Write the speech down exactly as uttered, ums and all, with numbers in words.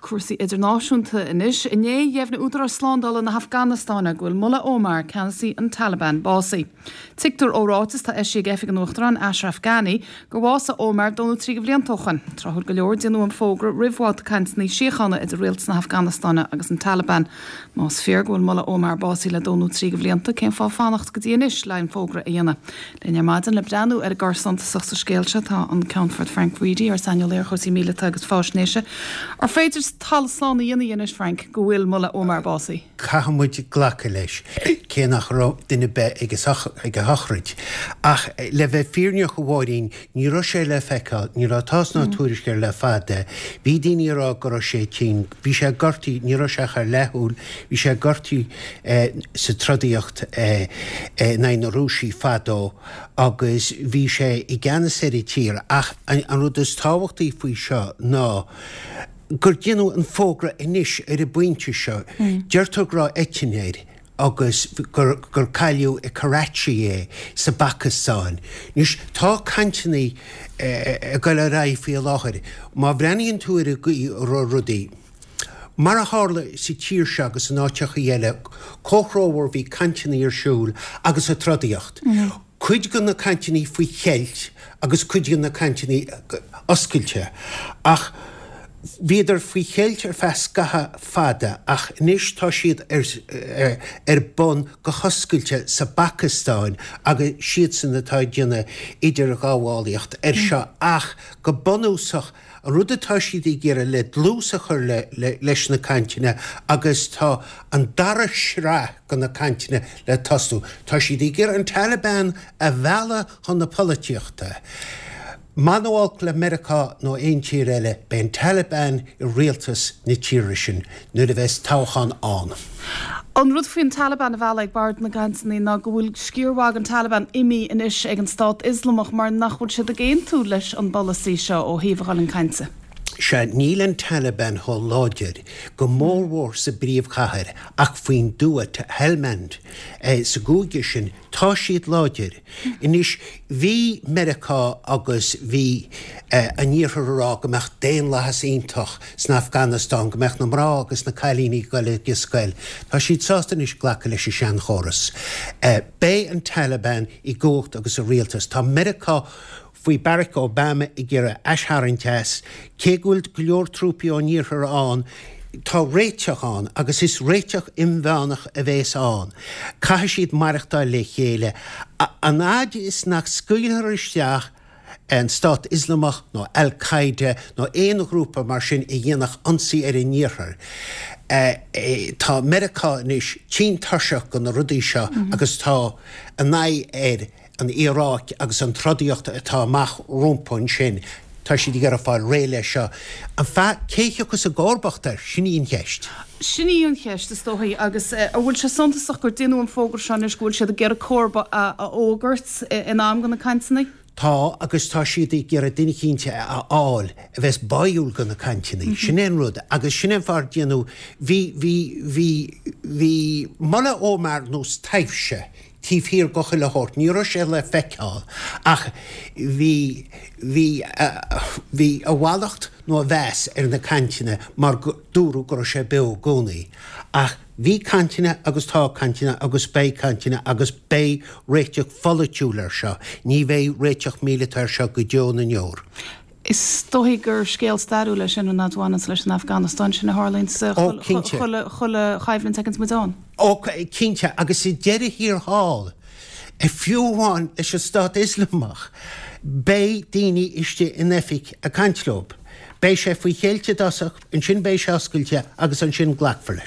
Cúrsaí idirnáisiúnta anois. Inné dheimhnigh údaráis slándála na hAfganastáine go bhfuil Mullah Omar, ceannasaí an Taliban, básaithe. Tuigtear ó ráiteas atá eisithe ag oifig an Uachtaráin Ashraf Ghani gur bhásaigh Omar dó nó trí de bhlianta ó shin. Tráthúil go leor déanadh an fógra roimh bhabhta cainteanna síochána idir rialtas na hAfganastáine agus an Taliban. Más fíor go bhfuil Mullah Omar básaithe le dó nó trí de bhlianta, cén fáth fanacht go dtí anois le an fógra a dhéanamh. Linn ar maidin le breathnú ar an gcor suntasach sa scéal seo tá an Ceannfort Frank Reidy, ár saineolaí ar chúrsaí míleata agus faisnéise. Ar féidir talamh slán a dhéanamh anois Frank go bhfuil Mullah Omar básaithe. Caithfidh muid glacadh leis cé nach raibh duine ar bith ag ag a shochraid. Ach le bheith fírinneach a Mháirín, ní raibh sé le feiceáil, ní raibh tásc ná tuairisc air le fada. Bhí daoine ag rá go raibh sé tinn, bhí sé gortaithe, ní raibh sé ach ar leathshúil, bhí sé gortaithe eh, sa trodaíocht eh, eh, in aghaidh na Rúisigh fadó agus bhí sé i gceannas ar an tír ach an, an rud is tábhachtaí faoi seo ná gur déanadh an fógra anois ar an bpointe seo. Deirtear go raibh eitinn air agus gur, gur cailleadh i Karachi é sa Phacastáin. Anois tá cainteanna ag dul ar aghaidh faoi láthair. Má bhreathnaíonn tú ar an gcaoi a raibh rudaí. Mar a tharla sa tír seo agus in áiteacha eile, comhthreomhar bhí cainteanna ar siúl agus an trodaíocht. Mm. Cuid de na cainteanna faoi cheilt agus cuid de na cainteanna oscailte. Ach bhíodar faoi cheilt ar feadh scaitheamh fada ach anois tá siad ar, ar, ar bun go hoscailte sa Phacastáin agus siadsan atá ag déanamh idirghabhálaíocht ar seo ach go bunúsach an rud atá siad ag iarraidh le dlús a chur le, le, leis na cainteanna agus tá an dara sraith de na cainteanna le tosú. Tá siad ag iarraidh an Taliban a mhealladh chun na polaitíochta. Mura olc le Meiriceá nó aon tír eile beidh an Taliban i rialtas na tíre sin nuair a bheas toghchán ann. An rud faoin Taliban a bheith ag bord na gcainteanna ná go bhfuil sciar mhaith den Taliban imithe anois ag an stát Ioslamach mar nach bhfuil siad ag aontú leis an bpolasaí seo ó thaobh a dhul chun cainte. Sea níl an Taliban chomh láidir go mórmhór sa bpríomhchathair ach faoin dtuath Helmand eh, sa gcúige sin tá siad láidir. Anois bhí Meiriceá agus bhí eh, an tIarthar ag rá go mbeadh daonlathas iontach san Afganastáin, go mbeadh na mná agus na cailíní ag dul ag scoil. Tá siad sásta anois glacadh leis an seanchóras. Eh, Beidh an Taliban i gcumhacht agus i rialtas. Tá Meiriceá faoi Barack Obama ag iarraidh aistharraingt as, cé go bhfuil go leor trúpaí ón iarthar ann, tá réiteach ann agus is réiteach inmheánach a bheas ann. Caithfidh siad maireachtáil le chéile. An fhad is nach scaoiltear isteach an Stát Ioslamach nó Al-Qaeda nó aon ghrúpa mar sin a dhéanfadh ionsaí ar an iarthar. Uh, tá Meiriceá anois tinn tuirseach de na rudaí seo mm -hmm. agus tá an aghaidh ar an Iaráic agus an trodaíocht atá amach rompu ansin. Tá siad ag iarraidh fáil réidh leis seo. An fa cé thiocfas i gcomharbacht air sin í an cheist. Sin í an cheist is dóichí agus an bhfuil sé suntasach gur déanadh an fógra seo anois go bhfuil siad ag iarraidh comharba a fhógairt in am do na cainteanna? Tá agus tá siad ag iarraidh duine eicínt a fháil a bheas báúil do na cainteanna. Mm -hmm. Sin é an rud agus sin an fáth déanadh bhí bhí bhí bhí Mullah Omar nós taibhse taobh thiar de chuile shórt, ní raibh sé le feiceáil ach bhí bhí bhí a mhallacht nó a mheas ar na cainteanna mar dúradh go raibh sé beo i gcónaí. Ach bhí cainteanna agus tá cainteanna agus beidh cainteanna agus beidh réiteach polaitiúil ar seo, ní bheidh réiteach míleata ar seo go deo na ndeor. Is dóichí gur scéal stairiúil é sin an adhhanas leis an Afganastáin sin a tharlaíonn chuile choimhlint ag muid ann. Ó cinnte agus sa deireadh thiar thall, fiú amháin leis an Stát Ioslamach, beidh daoine istigh in oifig ag caint leo. Beidh sé faoi cheilt i dtosach, ansin beidh sé oscailte agus ansin glacfar leis.